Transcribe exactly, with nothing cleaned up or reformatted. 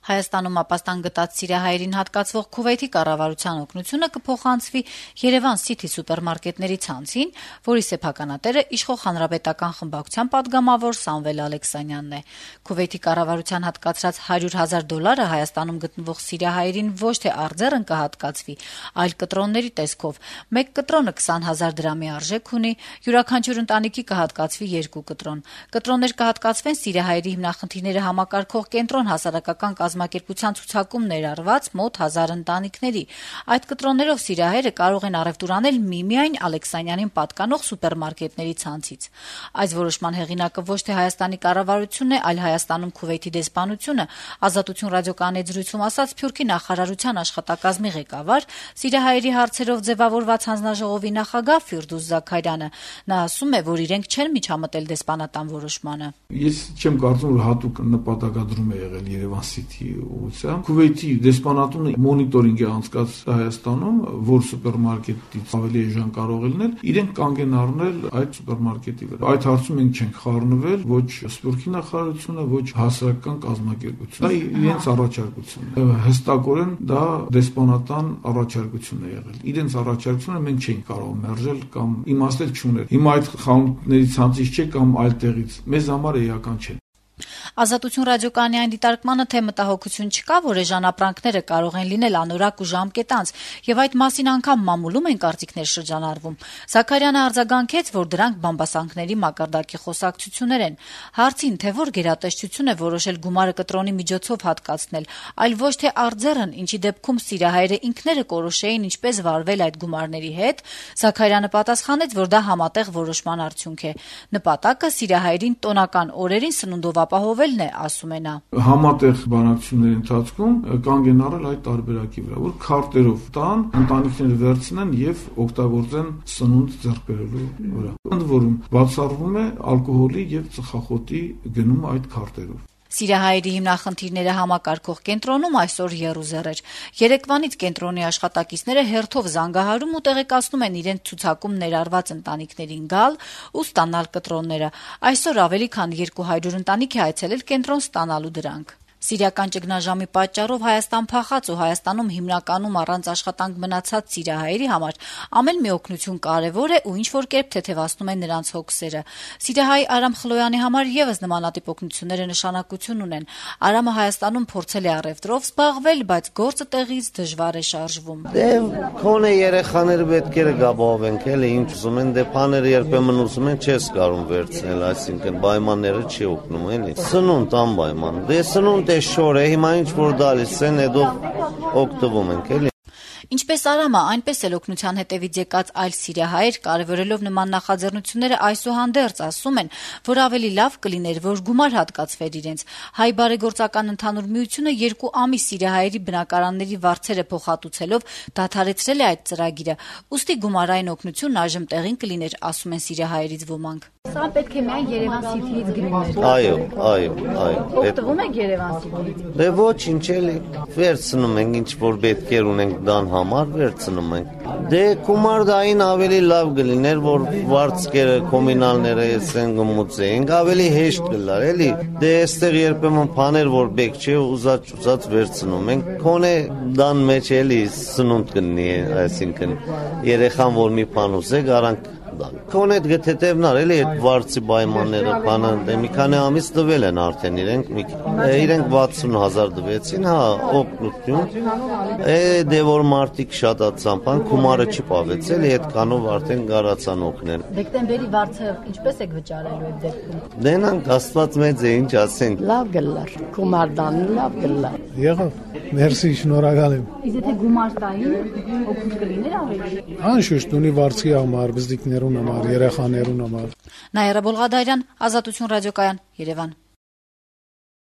Հայաստանում ապաստան գտած սիրիահայերին հատկացվող Քուվեյթի կառավարության օգնությունը կփոխանցվի Երևան City սուպերմարկետների ցանցին, որի սեփականատերը իշխող հանրապետական խմբակցության պատգամավոր Սամվել Ալեքսանյանն է։ Քուվեյթի կառավարության հատկացրած հարյուր հազար դոլարը Հայաստանում գտնվող սիրիահայերին ոչ թե արձեռն կհատկացվի, այլ կտրոնների տեսքով։ Մեկ կտրոնը քսան հազար դրամի արժեք ունի, յուրաքանչյուր ընտանիքի կհատկացվի երկու կտրոն։ Կտրոններ կհատկացվեն սիրիահայերի հիմնախնդիրները համակարգող կենտրոն հասարակական կազմակերպության ցուցակում ներառված մոտ հազար ընտանիքների։ Այդ կտրոններով սիրիահայերը կարող են առևտուր անել միմիայն Ալեքսանյանին պատկանող սուպերմարկետների ցանցից։ Այս որոշման հեղինակը ոչ թե Հայաստանի կառավարությունն է, այլ Հայաստանում Քուվեյթի դեսպանությունը, Ազատություն ռադիոկայանի զրույցում ասաց Սփյուռքի նախարարության աշխատակազմի ղեկավար, սիրիահայերի հարցերով ձևավորված հանձնաժողովի նախագահ Ֆիրդուս Զաքարյանը։ Նա ասում է, որ իրենք չեն միջամտել դեսպանատան որոշմանը։ Ես չեմ կարծում, որ հատուկ նպատակադրում է եղել Երևան City ուղղությամբ։ Քուվեյթի դեսպանատունը մոնիտորինգ է անցկացրել Հայաստանում, որ սուպերմարկետից ավելի էժան կարող է լինել, իրենք կանգ են առնել այդ սուպերմարկետի վրա։ Այդ հարցում մենք չենք խառնվել, ոչ Սփյուռքի նախարարությունը, ոչ հասարակական կազմակերպությունը։ Դա իրենց առաջարկությունն է։ Հստակորեն դա դեսպանատան առաջարկություն է եղել։ Իրենց առաջարկությունը մենք չենք կարող մերժել կամ իմաստել չունել։ Հիմա այդ խանութների ցանցից չէ կամ այլ տեղից։ Մեզ համար էական չէ։ Ազատություն ռադիոկայանի այն դիտարկմանը, թե մտահոգություն չկա, որ էժան ապրանքները կարող են լինել անորակ ու ժամկետանց, եւ այդ մասին անգամ մամուլում են կարծիքներ շրջանառվում։ Զաքարյանը արձագանքեց, որ դրանք բամբասանքների մակարդակի խոսակցություններ են։ Հարցին, թե որ գերատեսչություն է որոշել գումարը կտրոնի միջոցով հատկացնել, այլ ոչ թե արձեռն, ինչի դեպքում սիրիահայերը ինքները կորոշեին ինչպես վարվել այդ գումարների հետ, Զաքարյանը պատասխանեց, որ դա համատեղ որոշման արդյունք է։ Նպատակը սիրիահայերին տոնական օրերին սնունդով ապահովելն է, ասում է նա։ Համատեղ բանակցությունների ընթացքում կանգ են առել այդ տարբերակի վրա, որ քարտերով տան, ընտանիքները վերցնեն եւ օգտագործեն սնունդ ձեռք բերելու վրա։ Ընդ որում բացառվում է ալկոհոլի եւ ծխախոտի գնում այդ քարտերով։ Սիրիահայերի հիմնախնդիրները համակարգող կենտրոնում այսօր եռուզեռ էր։ Երեկվանից կենտրոնի աշխատակիցները հերթով զանգահարում ու տեղեկացնում են իրենց ցուցակում ներառված ընտանիքներին գալ ու ստանալ կտրոնները։ Այսօր ավելի քան երկու հարյուր ընտանիք է այցելել կենտրոն ստանալու դրանք։ Սիրիական ճգնաժամի պատճառով Հայաստան փախած ու Հայաստանում հիմնականում առանց աշխատանք մնացած սիրիահայերի համար ամեն մի օգնություն կարևոր է ու ինչ-որ կերպ թեթևացնում է նրանց հոգսերը։ Սիրիահայ Արամ Խլոյանի համար եւս նմանատիպ օգնությունները նշանակություն ունեն։ Արամը Հայաստանում փորձել է առևտրով զբաղվել, բայց գործը տեղից դժվար է շարժվում։ Դե քոնե երեխաները պետք է գաբովենք, էլի ինչ ուզում են, դե բաները երբեմն ուզում են չես կարող վերցնել, այսինքն պայմանները չի օգնում, էլի։ Սնունդ անպայման։ Դե սնունդ շոր է, հիմա ինչ որ դալիս են, հետո օգտվում ենք, էլի։ Ինչպես Արամը, այնպես էլ օգնության հետևից եկած այլ սիրիահայեր, կարևորելով նման նախաձեռնությունները, այսուհանդերձ ասում են, որ ավելի լավ կլիներ, որ գումար հատկացվեր իրենց։ Հայ բարեգործական ընդհանուր միությունը երկու ամիս սիրիահայերի բնակարանների վարձերը փոխհատուցելով դադարեցրել է այդ ծրագիրը։ Ուստի գումարային օգնությունն այժմ տեղին կլիներ, ասում են սիրիահայերից ոմանք։ Սա պետք է միայն Երևան City-ից գններ։ Այո, այո, այո։ Օգտվում եք Երևան City-ից։ Դե ոչինչ էլի, վերցնում ենք ինչ որ պետք է ունենք դան համար վերցնում ենք։ Դե գումարդային ավելի լավ կլիներ, որ վարձկերը կոմունալները էսեն գմուծեին, ավելի հեշտ կլար, էլի։ Դե այստեղ երբեմն բաներ որ բեք չէ, ուզած ուզած վերցնում ենք։ Քոնե դան մեջ էլի սնունդ կնի, այսինքն երեխան որ մի բան ուզե, գարանք Քոնետ գտետևնար էլի այդ վարձի պայմանները բանը դե մի քանի ամիս տվել են արդեն իրենք իրենք վաթսուն հազար տվեցին, հա, օգնություն։ Է դե որ մարտիկ շատացան, բան գումարը չպավեց էլի այդքանով արդեն գարացան օգնել։ Դեկտեմբերի վարձը ինչպես եք վճարելու այդ դեպքում։ Դենանք Աստված մեծ է, ինչ ասենք։ Լավ գլար, գումարդանը լավ գլար։ Եղավ, մերսի, շնորհակալ եմ։ Իսկ եթե գումար տային, օգուտ կլիներ ավելի։ Անշուշտ ունի վարձի համար, բզդիկներուն համար, երեխաներուն համար։ Նաիրա Բոլղադարյան, Ազատություն ռադիոկայան, Երևան։